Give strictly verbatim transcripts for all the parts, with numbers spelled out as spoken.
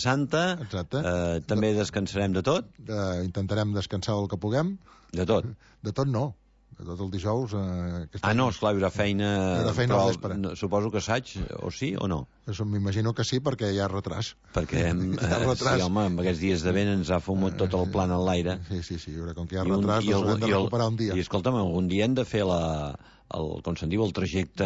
Santa. Exacte. Eh, també descansarem de tot. Eh, intentarem descansar el que puguem. De tot. De tot no. De tot el dijous... Eh, ah, no, esclar, hi haurà feina... Hi haurà feina al vespre. No, suposo que assaig, o sí o no? M'imagino que sí, perquè hi ha retras. Perquè hem, ha retras. Sí, home, amb aquests dies de vent ens ha fumut tot el plan en l'aire. Sí, sí, sí, com que hi ha retras, doncs haurem de recuperar un dia. I escolta'm, algun dia hem de fer la... El, com se'n diu, el trajecte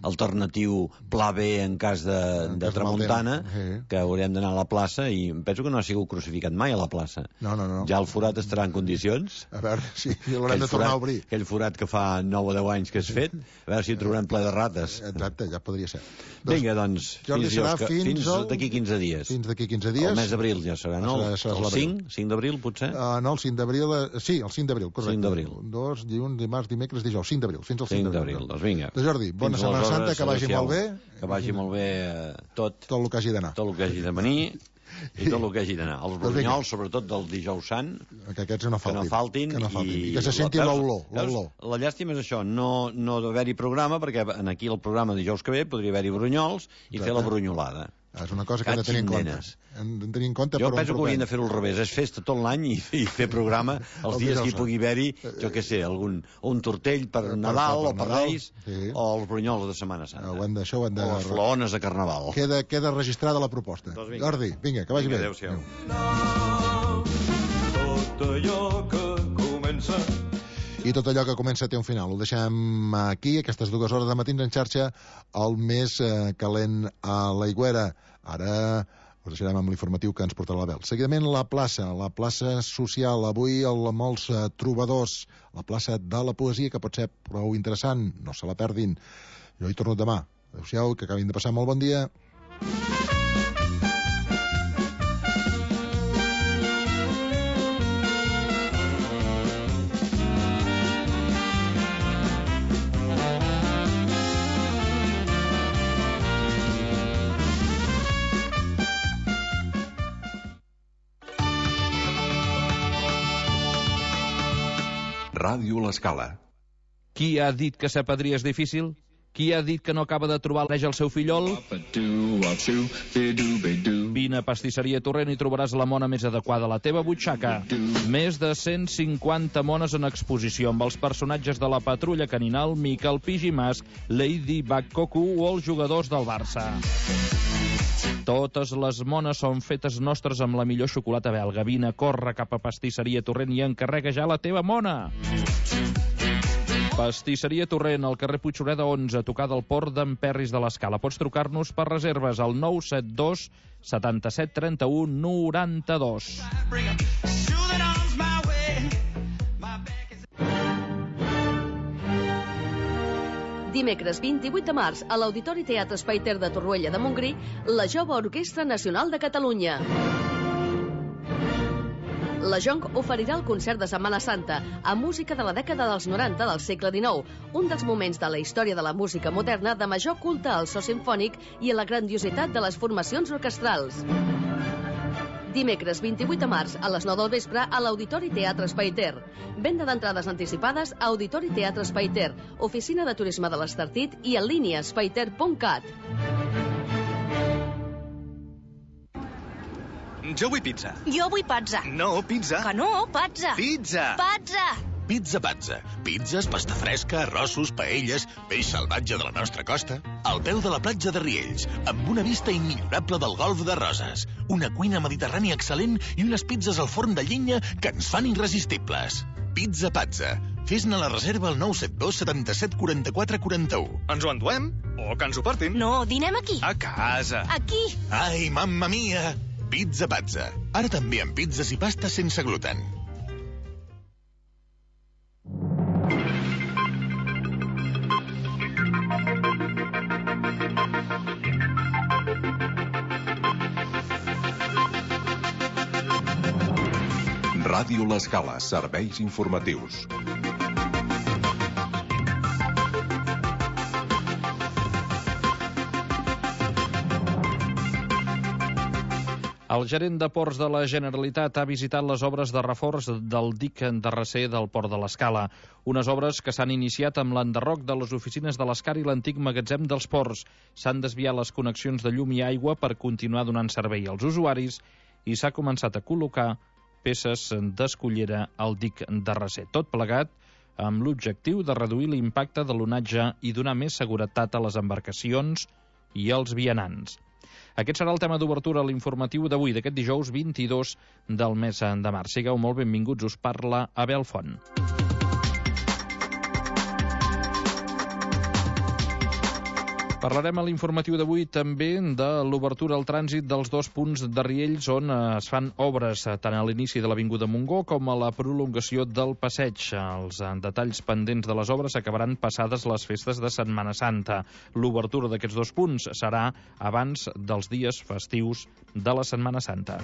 alternatiu pla B en cas de, en de cas tramuntana, sí. Que haurem d'anar a la plaça, i penso que no ha sigut crucificat mai a la plaça. No, no, no. Ja el forat estarà en condicions. A veure, sí, l'haurem de tornar forat, a obrir. Aquell forat que fa nou o deu anys que has fet, a veure si hi trobarem ple de rates. Exacte, ja podria ser. Vinga, doncs, Jordi, fins, que, fins, fins el... d'aquí quinze dies. Fins d'aquí quinze dies. El mes d'abril ja serà, no? Serà, serà el cinc? cinc d'abril, potser? Uh, no, el cinc d'abril... Uh, sí, el cinc d'abril, correcte. cinc d'abril. Dos, dilluns, dimarts, dimecres, dijous. cinc d'abril, fins al cinc d'abril. Doncs vinga. De Jordi, bona Setmana Santa, que vagi molt bé. Que vagi molt bé tot. Tot el que hagi d'anar. Tot el que hagi de venir i tot el que hagi d'anar. Els brunyols, sobretot del dijous sant, que aquests no faltin. Que no faltin. Que no faltin. I, I que se senti l'olor. La llàstima és això, no, no d'haver-hi programa, perquè aquí el programa dijous que ve podria haver-hi brunyols i fer la brunyolada. És una cosa que hem de tenir en compte. Hem de tenir en compte. Jo penso que haurien de fer-ho al revés, és festa tot l'any i, i fer programa els el dies que hi pugui haver-hi, jo què sé, algun, un tortell per per Nadal per, per o per Reis, sí. O els brunyols de Setmana Santa. Ho hem de, això ho hem de... O les flaones de Carnaval. Queda, queda registrada la proposta. Doncs vinga. Jordi, vinga, que vagi vinga, bé. Adéu-siau. Tot allò que comença... I tot allò que comença té un final. Ho deixem aquí, aquestes dues hores de matins en xarxa, el més eh, calent a l'Aigüera. Ara us deixarem amb l'informatiu que ens portarà la Bel. Seguidament la plaça, la plaça social. Avui el, molts eh, trobadors, la plaça de la poesia, que pot ser prou interessant. No se la perdin. Jo hi torno demà. Adéu-siau, que acabin de passar molt bon dia. Ràdio L'Escala. Qui ha dit que ser padrí és difícil? Qui ha dit que no acaba de trobar l'eix al seu fillol? Vine a Pastisseria Torrent i trobaràs la mona més adequada a la teva butxaca. Més de cent cinquanta mones en exposició amb els personatges de la Patrulla Caninal, Miquel Pigimas, Lady Bakkoku o els jugadors del Barça. Totes les mones són fetes nostres amb la millor xocolata belga. Vine, corre cap a Pastisseria Torrent i encarrega ja la teva mona. Pastisseria Torrent, al carrer Puigsureda onze, a tocar del port d'en Perris de l'Escala. Pots trucar-nos per reserves al nou set dos setanta-set trenta-u noranta-dos. Dimecres vint-i-vuit de març, a l'Auditori Teatre Espai Ter de Torroella de Montgrí, la Jove Orquestra Nacional de Catalunya. La Jonc oferirà el concert de Setmana Santa amb música de la dècada dels noranta del segle dinou, un dels moments de la història de la música moderna de major culte al so simfònic i a la grandiositat de les formacions orquestrals. Dimecres vint-i-vuit de març a les nou del vespre a l'Auditori Teatre Espai Ter. Venda d'entrades anticipades a Auditori Teatre Espai Ter, Oficina de Turisme de l'Estartit i en línia espaiter punt cat. Jo vull pizza. Jo vull pazza. No, pizza. Que no, pazza. Pizza. Pazza. Pizza Pazza. Pizzas, pasta fresca, arrossos, paelles, peix salvatge de la nostra costa. Al peu de la platja de Riells, amb una vista immillorable del golf de Roses. Una cuina mediterrània excel·lent i unes pizzas al forn de llenya que ens fan irresistibles. Pizza Pazza. Fes-ne la reserva al nou set dos setanta-set quaranta-quatre quaranta-u. Ens ho enduem? O que ens ho portin? No, dinem aquí. A casa. Aquí. Ai, mamma mia! Pizza Pazza. Ara també amb pizzas i pastes sense gluten. Ràdio L'Escala, serveis informatius. El gerent de Ports de la Generalitat ha visitat les obres de reforç del dic de recer del Port de l'Escala. Unes obres que s'han iniciat amb l'enderroc de les oficines de l'Escar i l'antic magatzem dels ports. S'han desviat les connexions de llum i aigua per continuar donant servei als usuaris i s'ha començat a col·locar peces d'escullera al dic de recer. Tot plegat amb l'objectiu de reduir l'impacte de l'onatge i donar més seguretat a les embarcacions i als vianants. Aquest serà el tema d'obertura a l'informatiu d'avui, d'aquest dijous vint-i-dos del mes de març. Sigueu molt benvinguts, us parla Abel Font. Parlarem a l'informatiu d'avui també de l'obertura al trànsit dels dos punts de Riells on es fan obres tant a l'inici de l'Avinguda Montgó com a la prolongació del passeig. Els detalls pendents de les obres acabaran passades les festes de Setmana Santa. L'obertura d'aquests dos punts serà abans dels dies festius de la Setmana Santa.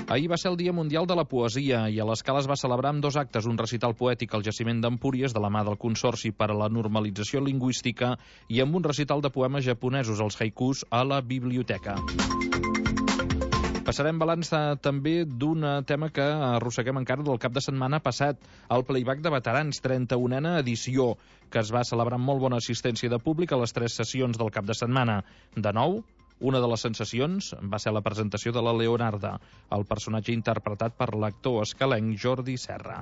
Ahir va ser el Dia Mundial de la Poesia i a l'Escala es va celebrar amb dos actes, un recital poètic al jaciment d'Empúries de la mà del Consorci per a la Normalització Lingüística i amb un recital de poemes japonesos, els haikus, a la biblioteca. Passarem balanç també d'un tema que arrosseguem encara del cap de setmana passat, el Playback de Veterans, trenta-unena edició, que es va celebrar amb molt bona assistència de públic a les tres sessions del cap de setmana. De nou, una de les sensacions va ser la presentació de la Leonarda, el personatge interpretat per l'actor escalenc Jordi Serra.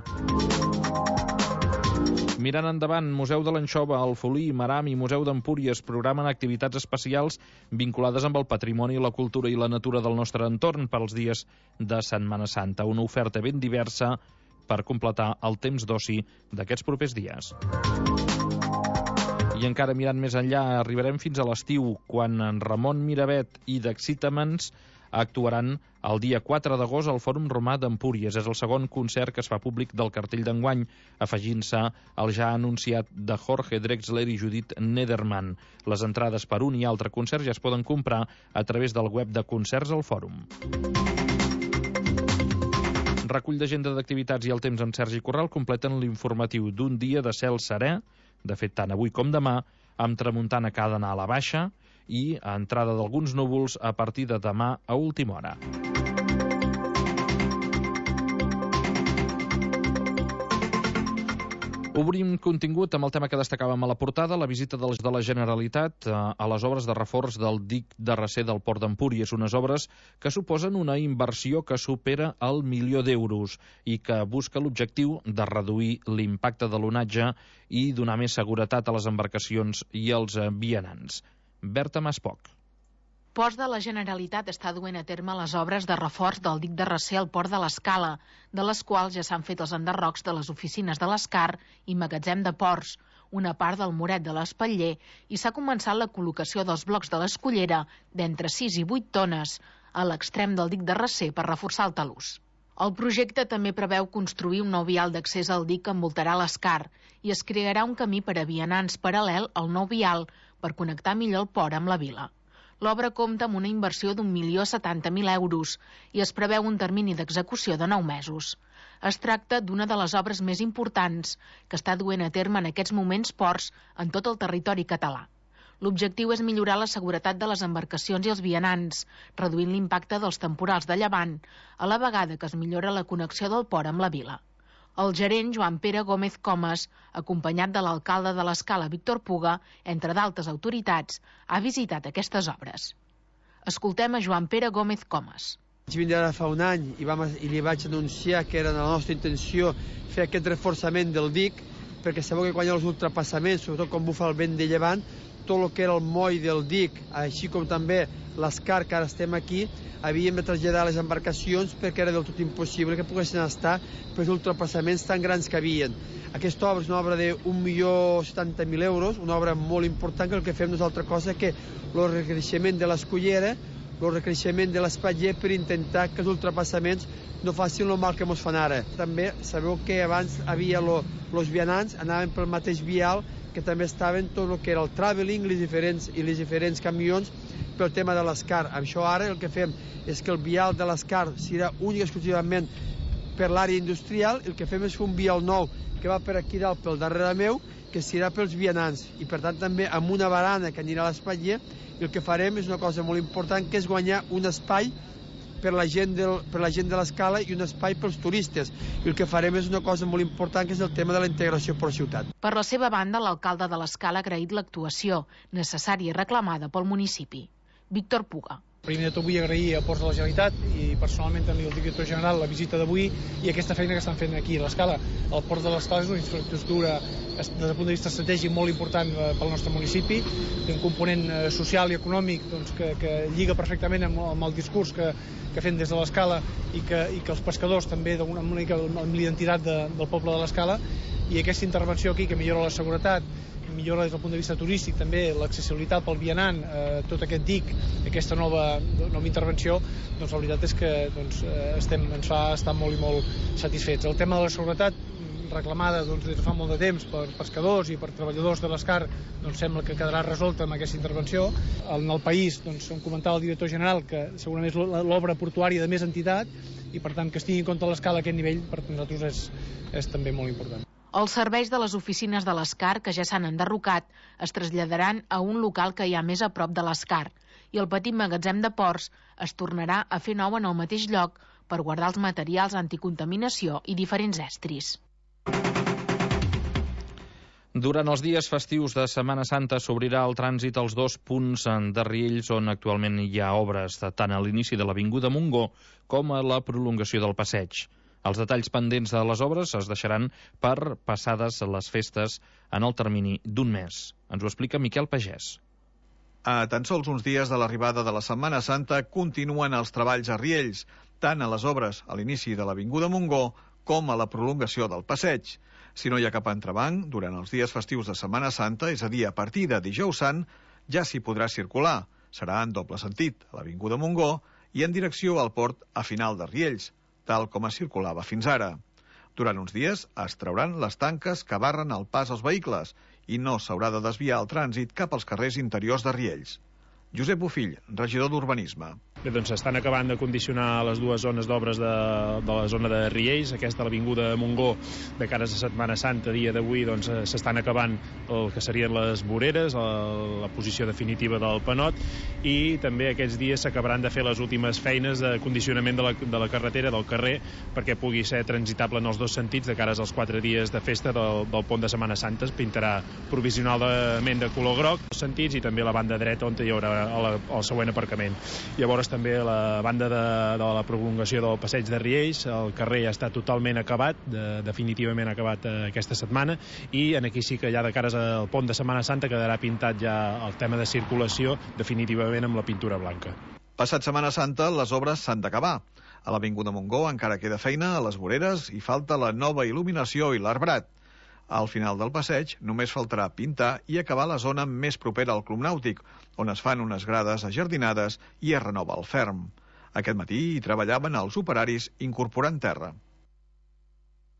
Mirant endavant, Museu de l'Anxova, Alfolí, Maram i Museu d'Empúries programen activitats especials vinculades amb el patrimoni, la cultura i la natura del nostre entorn per als dies de Setmana Santa. Una oferta ben diversa per completar el temps d'oci d'aquests propers dies. I encara mirant més enllà, arribarem fins a l'estiu, quan en Ramon Miravet i d'Excitaments actuaran el dia quatre d'agost al Fòrum Romà d'Empúries. És el segon concert que es fa públic del cartell d'enguany, afegint-se al ja anunciat de Jorge Drexler i Judith Nederman. Les entrades per un i altre concert ja es poden comprar a través del web de Concerts al Fòrum. Recull d'agenda d'activitats i el temps amb Sergi Corral completen l'informatiu d'un dia de cel serè, de fet tant avui com demà, amb tramuntana que ha d'anar a la baixa i a entrada d'alguns núvols a partir de demà a última hora. Obrim contingut amb el tema que destacàvem a la portada, la visita de la Generalitat a les obres de reforç del dic de recer del Port d'Empúries, unes obres que suposen una inversió que supera el milió d'euros i que busca l'objectiu de reduir l'impacte de l'onatge i donar més seguretat a les embarcacions i als vianants. Berta Maspoc. Ports de la Generalitat està duent a terme les obres de reforç del dic de recer al Port de l'Escala, de les quals ja s'han fet els enderrocs de les oficines de l'Escar i magatzem de ports, una part del muret de l'Espatller, i s'ha començat la col·locació dels blocs de l'escullera d'entre sis i vuit tones a l'extrem del dic de recer per reforçar el talús. El projecte també preveu construir un nou vial d'accés al dic que envoltarà l'Escar i es crearà un camí per a vianants paral·lel al nou vial per connectar millor el port amb la vila. L'obra compta amb una inversió d'un milió setanta mil euros i es preveu un termini d'execució de nou mesos. Es tracta d'una de les obres més importants que està duent a terme en aquests moments ports en tot el territori català. L'objectiu és millorar la seguretat de les embarcacions i els vianants, reduint l'impacte dels temporals de llevant, a la vegada que es millora la connexió del port amb la vila. El gerent Joan Pere Gómez Comas, acompanyat de l'alcalde de l'Escala Víctor Puga, entre d'altres autoritats, ha visitat aquestes obres. Escoltem a Joan Pere Gómez Comas. Vaig vindre ara fa un any i, vam, i li vaig anunciar que era la nostra intenció fer aquest reforçament del dic, perquè sabeu que quan hi ha els ultrapassaments, sobretot quan bufa el vent de llevant, tot el que era el moll del dic, així com també l'Escar, que ara estem aquí, havíem de traslladar les embarcacions perquè era del tot impossible que poguessin estar per els ultrapassaments tan grans que havien. Aquesta obra és una obra d'un milió setanta mil euros, una obra molt important, que el que fem no és altra cosa que el recreixement de l'escullera, el recreixement de l'espatller per intentar que els ultrapassaments no facin el mal que ens fan ara. També sabeu que abans havia els vianants, anaven pel mateix vial, que també estaven tot el que era el travelling les diferents, i les diferents camions pel tema de l'Escar. Amb això ara el que fem és que el vial de l'Escar serà únic exclusivament per l'àrea industrial. El que fem és fer un vial nou que va per aquí dalt, pel darrere meu, que serà pels vianants, i per tant també amb una barana que anirà a l'espatlla, i el que farem és una cosa molt important, que és guanyar un espai per la gent, del, per la gent de l'Escala i un espai pels turistes. I el que farem és una cosa molt important, que és el tema de la integració per ciutat. Per la seva banda, l'alcalde de l'Escala ha agraït l'actuació, necessària i reclamada pel municipi. Víctor Puga. Primer de tot vull agrair a Ports de la Generalitat i personalment també al director general la visita d'avui i aquesta feina que estan fent aquí a l'Escala. El Port de l'Escala és una infraestructura des del punt de vista estratègic molt important pel nostre municipi, té un component social i econòmic doncs, que, que lliga perfectament amb, amb el discurs que, que fem des de l'Escala i que, i que els pescadors també d'una mica amb l'identitat de, del poble de l'Escala, i aquesta intervenció aquí que millora la seguretat, millora des del punt de vista turístic, també l'accessibilitat pel vianant, eh, tot aquest dic, aquesta nova, nova intervenció, doncs la veritat és que doncs, estem, ens fa estar molt i molt satisfets. El tema de la seguretat, reclamada doncs, des de fa molt de temps per pescadors i per treballadors de l'Escar, doncs sembla que quedarà resolta amb aquesta intervenció. En el país, doncs, em comentava el director general que segurament és l'obra portuària de més entitat i per tant que es tingui en compte l'Escala a aquest nivell per nosaltres és, és també molt important. Els serveis de les oficines de l'Escar, que ja s'han enderrocat, es traslladaran a un local que hi ha més a prop de l'Escar i el petit magatzem de ports es tornarà a fer nou en el mateix lloc per guardar els materials anticontaminació i diferents estris. Durant els dies festius de Setmana Santa s'obrirà el trànsit als dos punts de Riells on actualment hi ha obres, tant a l'inici de l'Avinguda Montgó com a la prolongació del passeig. Els detalls pendents de les obres es deixaran per passades les festes en el termini d'un mes. Ens ho explica Miquel Pagès. A tan sols uns dies de l'arribada de la Setmana Santa continuen els treballs a Riells, tant a les obres a l'inici de l'Avinguda Montgó com a la prolongació del passeig. Si no hi ha cap entrebanc, durant els dies festius de Setmana Santa, és a dir, a partir de dijous sant, ja s'hi podrà circular. Serà en doble sentit, a l'Avinguda Montgó i en direcció al port a final de Riells, tal com es circulava fins ara. Durant uns dies es trauran les tanques que barren el pas als vehicles i no s'haurà de desviar el trànsit cap als carrers interiors de Riells. Josep Bofill, regidor d'Urbanisme. Bé, doncs s'estan acabant de condicionar les dues zones d'obres de, de la zona de Riells, aquesta a l'Avinguda Montgó, de cara a Setmana Santa, dia d'avui, doncs s'estan acabant el que serien les voreres, la, la posició definitiva del panot, i també aquests dies s'acabaran de fer les últimes feines de condicionament de la, de la carretera, del carrer, perquè pugui ser transitable en els dos sentits de cara als quatre dies de festa del, del pont de Setmana Santa. Es pintarà provisionalment de color groc, els sentits, i també la banda dreta on hi haurà el, el següent aparcament. Llavors també la banda de, de la prolongació del passeig de Riells, el carrer ja està totalment acabat, de, definitivament acabat eh, aquesta setmana, i en aquí sí que ja de cares al pont de Setmana Santa quedarà pintat ja el tema de circulació definitivament amb la pintura blanca. Passat Setmana Santa, les obres s'han d'acabar. A l'Avinguda Montgó encara queda feina a les voreres i falta la nova il·luminació i l'arbrat. Al final del passeig només faltarà pintar i acabar la zona més propera al Club Nàutic, on es fan unes grades ajardinades i es renova el ferm. Aquest matí hi treballaven els operaris incorporant terra.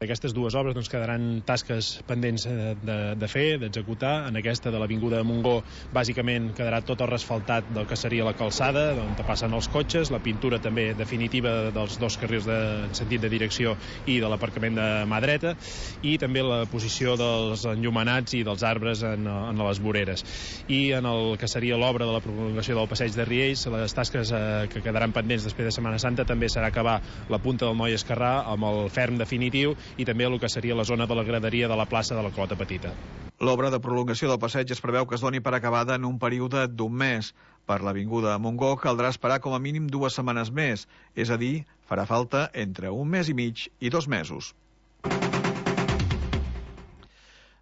Aquestes dues obres doncs, quedaran tasques pendents de, de fer, d'executar. En aquesta de l'Avinguda de Montgó, bàsicament quedarà tot el resfaltat del que seria la calçada, on passen els cotxes, la pintura també definitiva dels dos carrils de sentit de direcció i de l'aparcament de mà dreta, i també la posició dels enllumenats i dels arbres en, en les voreres. I en el que seria l'obra de la prolongació del passeig de Riells, les tasques eh, que quedaran pendents després de Setmana Santa també serà acabar la punta del Moll Esquerrà amb el ferm definitiu i també el que seria la zona de la graderia de la plaça de la Clota Petita. L'obra de prolongació del passeig es preveu que es doni per acabada en un període d'un mes. Per l'Avinguda Montgó caldrà esperar com a mínim dues setmanes més, és a dir, farà falta entre un mes i mig i dos mesos.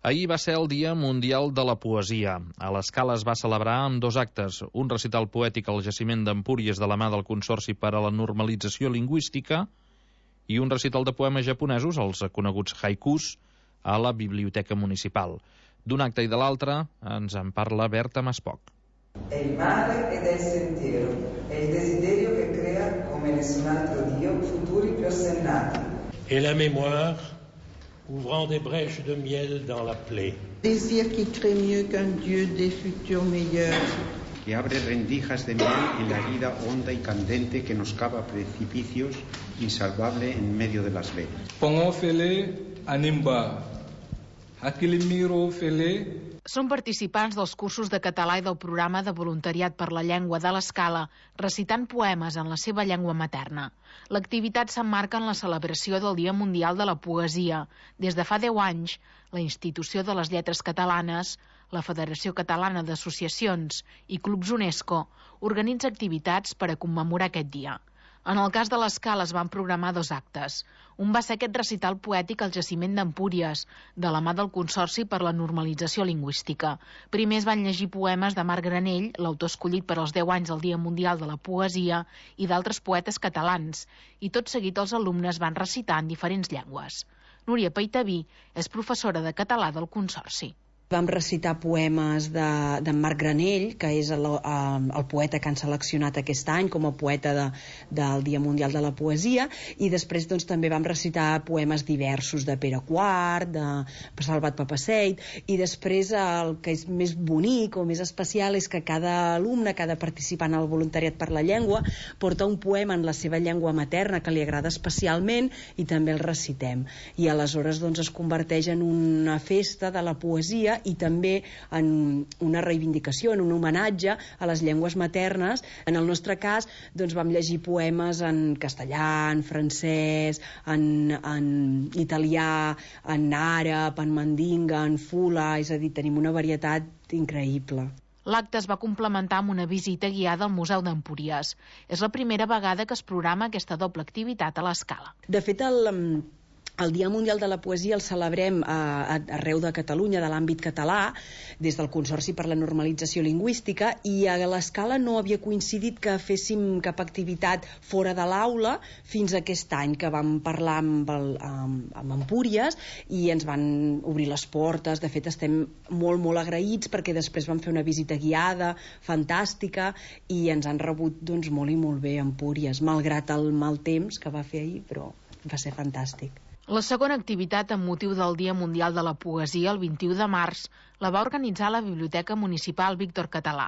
Ahir va ser el Dia Mundial de la Poesia. A l'Escala es va celebrar amb dos actes, un recital poètic al jaciment d'Empúries de la mà del Consorci per a la Normalització Lingüística i un recital de poemes japonesos, els coneguts haikus, a la Biblioteca Municipal. D'un acte i de l'altre ens en parla Berta Maspoc. El mare ed el sentiero, el desiderio que crea come nessun altro Dio futuri prosennati. Et la mémoire, ouvrant des brèches de miel dans la plaie. Désir qui crée mieux qu'un Dieu des futurs meilleurs. Que abre rendijas de miel en la herida honda y candente que nos cava precipicios, insalvable en medio de las venas. Pongófele animba, Són participants dels cursos de català i del programa de voluntariat per la llengua de l'Escala, recitant poemes en la seva llengua materna. L'activitat s'emmarca en la celebració del Dia Mundial de la Poesia. Des de fa deu anys, la Institució de les Lletres Catalanes, la Federació Catalana d'Associacions i Clubs UNESCO organitza activitats per a commemorar aquest dia. En el cas de l'Escala es van programar dos actes. Un va ser aquest recital poètic al jaciment d'Empúries, de la mà del Consorci per la Normalització Lingüística. Primer es van llegir poemes de Marc Granell, l'autor escollit per als deu anys del Dia Mundial de la Poesia, i d'altres poetes catalans, i tot seguit els alumnes van recitar en diferents llengües. Núria Paitaví és professora de català del Consorci. Vam recitar poemes d'en de Marc Granell, que és el, el poeta que han seleccionat aquest any com a poeta de, del Dia Mundial de la Poesia, i després doncs, també vam recitar poemes diversos de Pere Quart, de Salvat Papasseit, i després el que és més bonic o més especial és que cada alumne, cada participant al voluntariat per la llengua, porta un poema en la seva llengua materna que li agrada especialment i també el recitem. I aleshores doncs, es converteix en una festa de la poesia i també en una reivindicació, en un homenatge a les llengües maternes. En el nostre cas, doncs, vam llegir poemes en castellà, en francès, en, en italià, en àrab, en mandinga, en fula, és a dir, tenim una varietat increïble. L'acte es va complementar amb una visita guiada al Museu d'Empúries. És la primera vegada que es programa aquesta doble activitat a l'Escala. De fet, el... El Dia Mundial de la Poesia el celebrem a, a, arreu de Catalunya, de l'àmbit català, des del Consorci per la Normalització Lingüística, i a l'Escala no havia coincidit que féssim cap activitat fora de l'aula fins aquest any, que vam parlar amb, el, amb, amb Empúries i ens van obrir les portes. De fet, estem molt, molt agraïts perquè després vam fer una visita guiada, fantàstica, i ens han rebut doncs, molt i molt bé a Empúries, malgrat el mal temps que va fer ahir, però va ser fantàstic. La segona activitat amb motiu del Dia Mundial de la Poesia, el vint-i-u de març, la va organitzar la Biblioteca Municipal Víctor Català.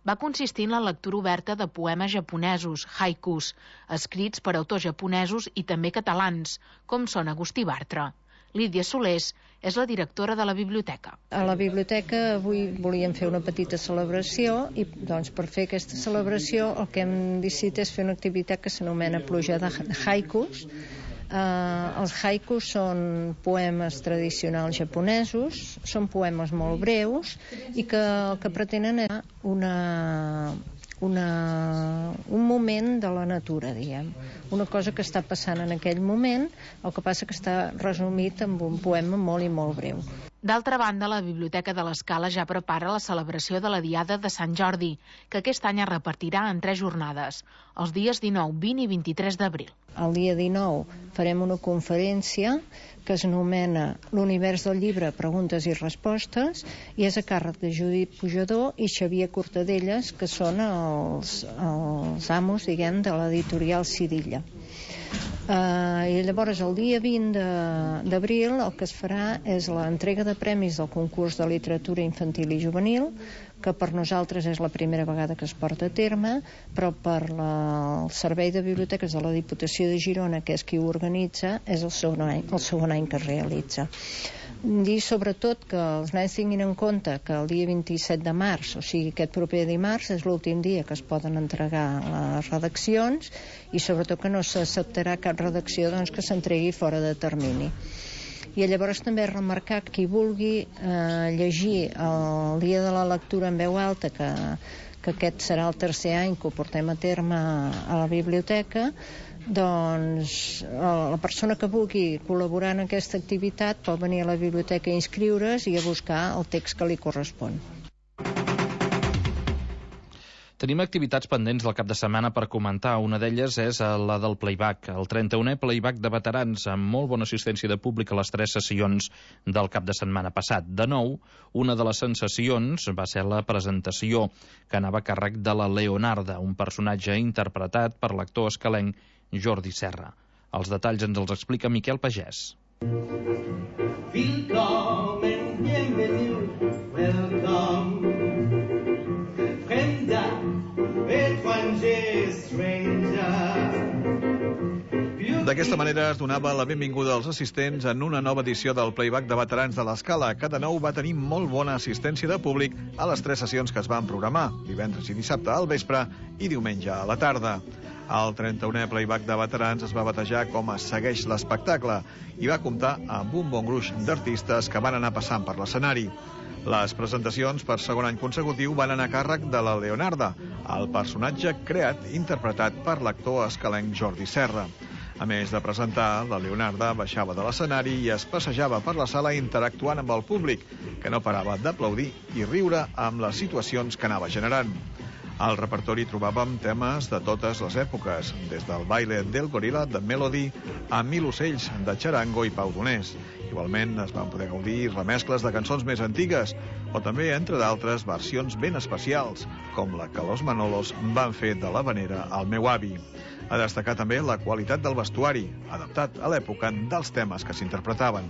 Va consistir en la lectura oberta de poemes japonesos, haikus, escrits per autors japonesos i també catalans, com són Agustí Bartra. Lídia Solés és la directora de la biblioteca. A la biblioteca avui volíem fer una petita celebració i doncs, per fer aquesta celebració el que hem decidit és fer una activitat que s'anomena Pluja de haikus. Uh, els haikus són poemes tradicionals japonesos, són poemes molt breus i que el que pretenen és una, una, un moment de la natura, diguem. Una cosa que està passant en aquell moment, el que passa que està resumit en un poema molt i molt breu. D'altra banda, la Biblioteca de l'Escala ja prepara la celebració de la Diada de Sant Jordi, que aquest any es repartirà en tres jornades, els dies dinou, vint i vint-i-tres d'abril. El dia dinou farem una conferència que es anomena L'univers del llibre, preguntes i respostes, i és a càrrec de Judit Pujador i Xavier Cortadellas, que són els, els amos, diguem, de l'editorial Cirilla. Uh, i llavors el dia vint d'abril el que es farà és l'entrega de premis del concurs de literatura infantil i juvenil, que per nosaltres és la primera vegada que es porta a terme, però per la, el Servei de Biblioteques de la Diputació de Girona, que és qui ho organitza, és el segon any, el segon any que es realitza. Dir sobretot que els nens tinguin en compte que el dia vint-i-set de març, o sigui aquest proper dimarts, és l'últim dia que es poden entregar les redaccions i sobretot que no s'acceptarà cap redacció doncs, que s'entregui fora de termini. I llavors també remarcar que qui vulgui eh, llegir el dia de la lectura en veu alta, que, que aquest serà el tercer any que ho portem a terme a la biblioteca, doncs la persona que vulgui col·laborar en aquesta activitat pot venir a la biblioteca a inscriure's i a buscar el text que li correspon. Tenim activitats pendents del cap de setmana per comentar. Una d'elles és la del playback, el trenta-unè playback de veterans, amb molt bona assistència de públic a les tres sessions del cap de setmana passat. De nou, una de les sensacions va ser la presentació, que anava a càrrec de la Leonarda, un personatge interpretat per l'actor escalenc Jordi Serra. Els detalls ens els explica Miquel Pagès. Willkommen, bienvenido, welcome. Fremda, étranger, stranger. D'aquesta manera es donava la benvinguda als assistents en una nova edició del Playback de Veterans de l'Escala, que de nou va tenir molt bona assistència de públic a les tres sessions que es van programar, divendres i dissabte al vespre i diumenge a la tarda. El trenta-unè Playback de Veterans es va batejar com a Segueix l'espectacle i va comptar amb un bon gruix d'artistes que van anar passant per l'escenari. Les presentacions per segon any consecutiu van anar a càrrec de la Leonarda, el personatge creat i interpretat per l'actor escalenc Jordi Serra. A més de presentar, la Leonarda baixava de l'escenari i es passejava per la sala interactuant amb el públic, que no parava d'aplaudir i riure amb les situacions que anava generant. Al repertori trobàvem temes de totes les èpoques, des del baile del goril·la de Melody a Mil ocells de Charango i Pau Donés. Igualment es van poder gaudir remescles de cançons més antigues, o també, entre d'altres, versions ben especials, com la que los Manolos van fer de l'Havanera al meu avi. A destacar també la qualitat del vestuari, adaptat a l'època dels temes que s'interpretaven.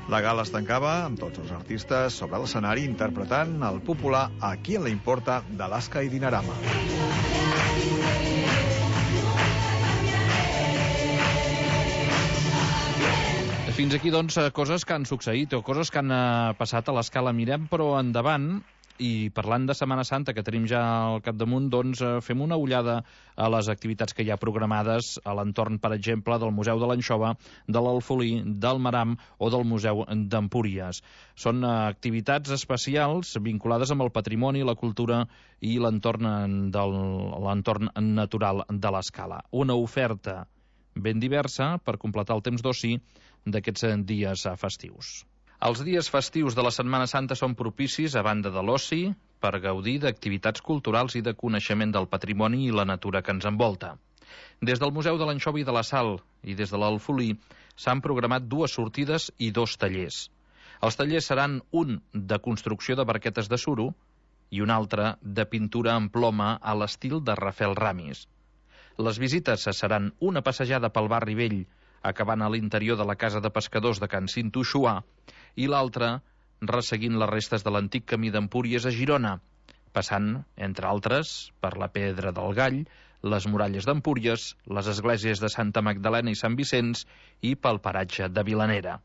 La gala es tancava amb tots els artistes sobre l'escenari interpretant el popular A qui le importa d'Alaska i Dinarama. Fins aquí, doncs, coses que han succeït o coses que han passat a l'Escala. Mirem, però, endavant, i parlant de Setmana Santa, que tenim ja al capdamunt, doncs fem una ullada a les activitats que hi ha programades a l'entorn, per exemple, del Museu de l'Anxova, de l'Alfolí, del Maram o del Museu d'Empúries. Són activitats especials vinculades amb el patrimoni, la cultura i l'entorn del l'entorn natural de l'Escala. Una oferta ben diversa per completar el temps d'oci d'aquests dies festius. Els dies festius de la Setmana Santa són propicis, a banda de l'oci, per gaudir d'activitats culturals i de coneixement del patrimoni i la natura que ens envolta. Des del Museu de l'Anxova i de la Sal i des de l'Alfolí s'han programat dues sortides i dos tallers. Els tallers seran un de construcció de barquetes de suro i un altre de pintura en ploma a l'estil de Rafael Ramis. Les visites seran una passejada pel barri vell, acabant a l'interior de la casa de pescadors de Can Cinto-Xuà, i l'altra resseguint les restes de l'antic camí d'Empúries a Girona, passant, entre altres, per la Pedra del Gall, les muralles d'Empúries, les esglésies de Santa Magdalena i Sant Vicenç i pel paratge de Vilanera.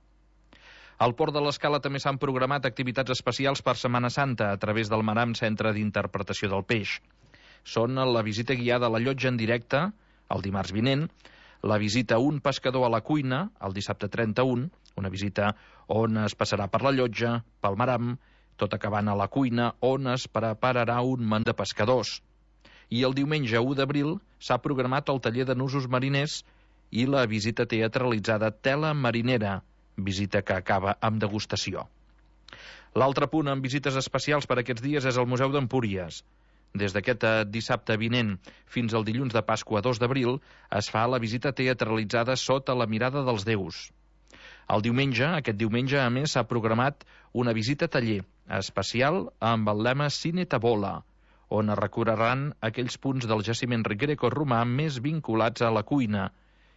Al Port de l'Escala també s'han programat activitats especials per Setmana Santa a través del Maram Centre d'Interpretació del Peix. Són la visita guiada a la llotja en directe, el dimarts vinent, la visita a un pescador a la cuina, el dissabte trenta-un, una visita on es passarà per la llotja, pel Maram, tot acabant a la cuina, on es prepararà un menú de pescadors. I el diumenge u d'abril s'ha programat el taller de nusos mariners i la visita teatralitzada Tela Marinera, visita que acaba amb degustació. L'altre punt amb visites especials per aquests dies és el Museu d'Empúries. Des d'aquest dissabte vinent fins al dilluns de Pasqua dos d'abril es fa la visita teatralitzada Sota la mirada dels déus. El diumenge, aquest diumenge, a més, s'ha programat una visita taller especial amb el lema Cine Tabola, on es recorreran aquells punts del jaciment greco-romà més vinculats a la cuina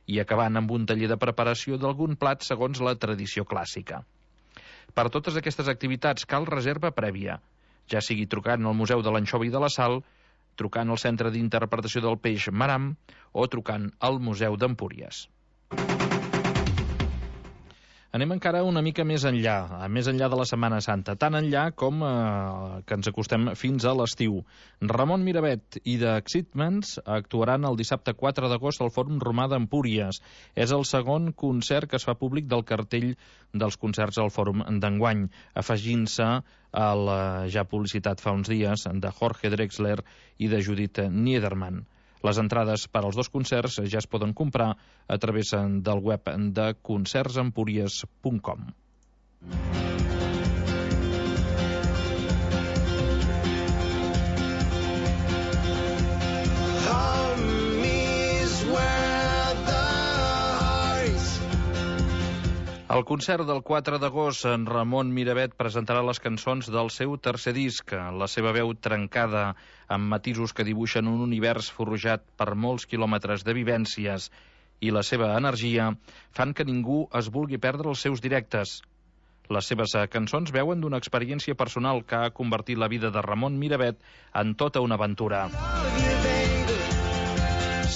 i acabant amb un taller de preparació d'algun plat segons la tradició clàssica. Per totes aquestes activitats cal reserva prèvia, ja sigui trucant al Museu de l'Anxova i de la Sal, trucant al Centre d'Interpretació del Peix Maram o trucant al Museu d'Empúries. Anem encara una mica més enllà, més enllà de la Setmana Santa, tan enllà com eh, que ens acostem fins a l'estiu. Ramon Miravet i The Excitements actuaran el dissabte quatre d'agost al Fòrum Romà d'Empúries. És el segon concert que es fa públic del cartell dels concerts al Fòrum d'enguany, afegint-se a la ja publicitat fa uns dies de Jorge Drexler i de Judith Niederman. Les entrades per als dos concerts ja es poden comprar a través del web de concerts empúries punt com. Al concert del quatre d'agost, en Ramon Miravet presentarà les cançons del seu tercer disc. La seva veu trencada, amb matisos que dibuixen un univers forjat per molts quilòmetres de vivències, i la seva energia fan que ningú es vulgui perdre els seus directes. Les seves cançons veuen d'una experiència personal que ha convertit la vida de Ramon Miravet en tota una aventura.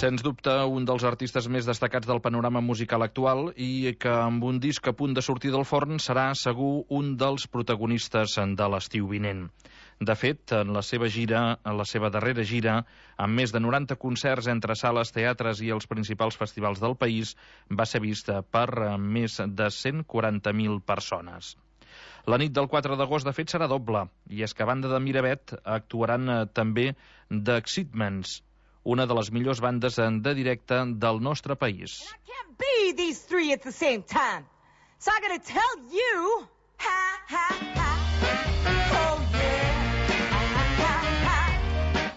Sens dubte, un dels artistes més destacats del panorama musical actual i que amb un disc a punt de sortir del forn serà segur un dels protagonistes de l'estiu vinent. De fet, en la seva gira, en la seva darrera gira, amb més de noranta concerts entre sales, teatres i els principals festivals del país, va ser vista per més de cent quaranta mil persones. La nit del quatre d'agost, de fet, serà doble, i és que a banda de Miravet actuaran també The Excitements, una de les millors bandes de directe del nostre país. Can't be these three at the same time. So I gotta tell you, ha, ha, ha. Oh, yeah.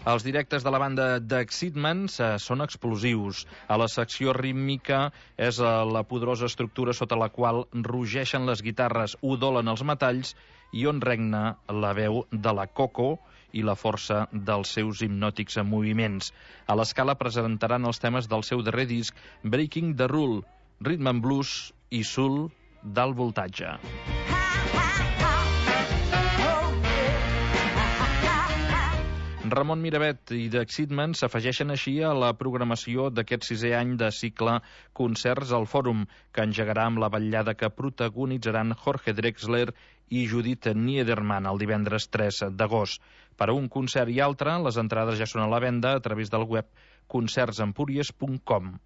Els directes de la banda The Excitements eh, són explosius. A la secció rítmica és eh, la poderosa estructura sota la qual rugeixen les guitarres, udolen els metalls i on regna la veu de la Coco i la força dels seus hipnòtics moviments. A l'Escala presentaran els temes del seu darrer disc, Breaking the Rule, Rhythm and Blues i Soul d'alt voltatge. Ramon Miravet i The Excitements s'afegeixen així a la programació d'aquest sisè any de cicle Concerts al Fòrum, que engegarà amb la vetllada que protagonitzaran Jorge Drexler i Judith Niederman el divendres tres d'agost. Per a un concert i altre, les entrades ja són a la venda a través del web concerts empúries punt com.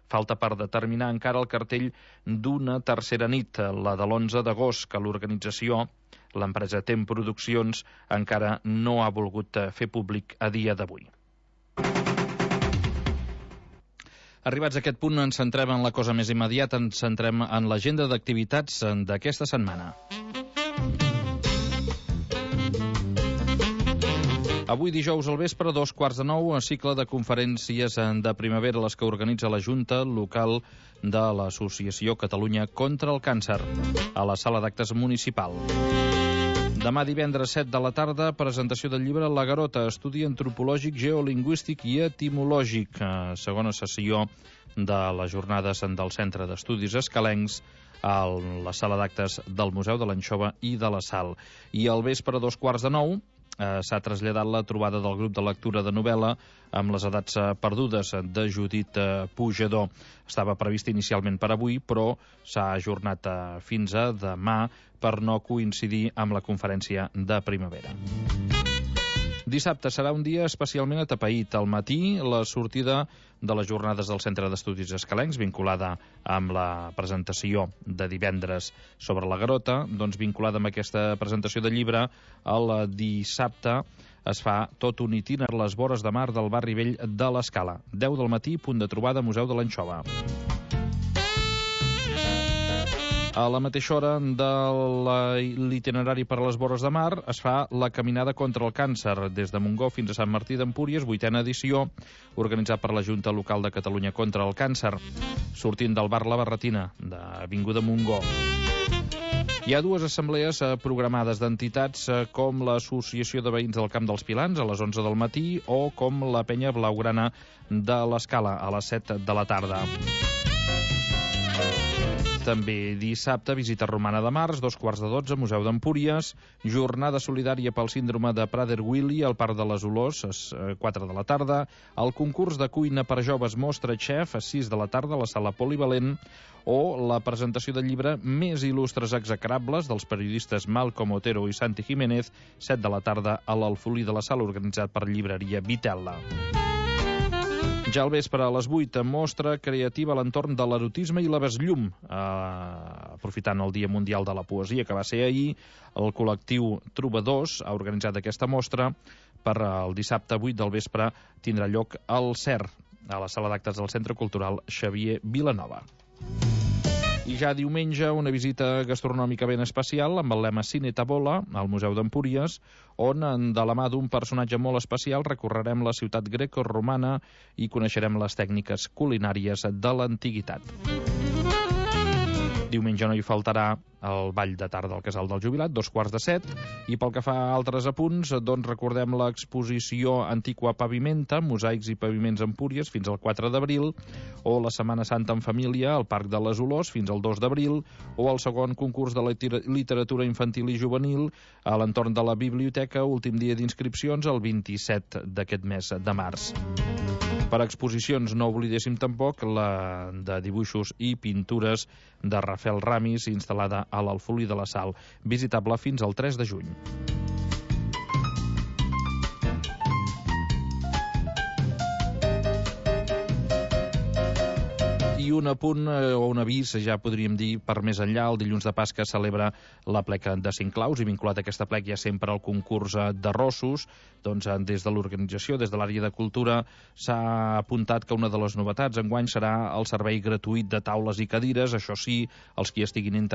Falta per determinar encara el cartell d'una tercera nit, la de l'onze d'agost, que l'organització, l'empresa Tem Produccions, encara no ha volgut fer públic a dia d'avui. Arribats a aquest punt, ens centrem en la cosa més immediata, ens centrem en l'agenda d'activitats d'aquesta setmana. Avui dijous al vespre, dos quarts de nou, a cicle de conferències de primavera, les que organitza la Junta Local de l'Associació Catalunya contra el Càncer, a la sala d'actes municipal. Demà divendres set de la tarda, presentació del llibre La Garota, estudi antropològic, geolingüístic i etimològic, segona sessió de les jornades del Centre d'Estudis Escalencs, a la sala d'actes del Museu de l'Anxova i de la Sal. I al vespre, dos quarts de nou, Eh, s'ha traslladat la trobada del grup de lectura de novel·la amb les edats eh, perdudes de Judit eh, Pujador. Estava previst inicialment per avui, però s'ha ajornat eh, fins a demà per no coincidir amb la conferència de primavera. Dissabte serà un dia especialment atapeït. Al matí, la sortida de les jornades del Centre d'Estudis Escalencs, vinculada amb la presentació de divendres sobre la Garota, doncs vinculada amb aquesta presentació de llibre, el dissabte es fa tot un itiner a les vores de mar del barri vell de l'Escala. deu del matí, punt de trobada, Museu de l'Anxova. A la mateixa hora de l'itinerari per a les vores de mar es fa la Caminada contra el Càncer, des de Montgó fins a Sant Martí d'Empúries, vuitena edició, organitzat per la Junta Local de Catalunya contra el Càncer, sortint del bar La Barretina, d'Avinguda Montgó. Hi ha dues assemblees programades d'entitats com l'Associació de Veïns del Camp dels Pilans a les onze del matí o com la Penya Blaugrana de l'Escala a les set de la tarda. També dissabte, visita romana de març, dos quarts de dotze, Museu d'Empúries, jornada solidària pel síndrome de Prader-Willi al Parc de les Olors, a quatre de la tarda, el concurs de cuina per joves Mostra Chef, a sis de la tarda, a la sala polivalent, o la presentació del llibre Més il·lustres execrables dels periodistes Malcom Otero i Santi Jiménez, set de la tarda, a l'Alfolí de la Sala, organitzat per Llibreria Vitella. Ja al vespre, a les vuit, mostra creativa a l'entorn de l'erotisme i la besllum. Eh, aprofitant el Dia Mundial de la Poesia, que va ser ahir, el col·lectiu Trobadors ha organitzat aquesta mostra. Per el dissabte vuit del vespre tindrà lloc al C E R, a la sala d'actes del Centre Cultural Xavier Vilanova. I ja diumenge, una visita gastronòmica ben especial amb el lema Cine Tabola al Museu d'Empúries, on, de la mà d'un personatge molt especial, recorrerem la ciutat greco-romana i coneixerem les tècniques culinàries de l'antiguitat. Diumenge no hi faltarà el ball de tarda al Casal del Jubilat, dos quarts de set, i pel que fa a altres apunts, doncs recordem l'exposició Antiqua Pavimenta, mosaics i paviments Empúries, fins al quatre d'abril, o la Setmana Santa en família al Parc de les Olors, fins al dos d'abril, o el segon concurs de literatura infantil i juvenil a l'entorn de la biblioteca, últim dia d'inscripcions, el vint-i-set d'aquest mes de març. Per exposicions no oblidéssim tampoc la de dibuixos i pintures de Rafael Ramis, instal·lada a l'Alfolí de la Sal, visitable fins al tres de juny. I un apunt o un avís, ja podríem dir, per més enllà. El dilluns de Pasca celebra la plec de Cinclaus i vinculat a aquesta plec hi ha sempre el concurs d'arrossos. Doncs des de l'organització, des de l'àrea de cultura, s'ha apuntat que una de les novetats enguany serà el servei gratuït de taules i cadires. Això sí, els qui estiguin interessats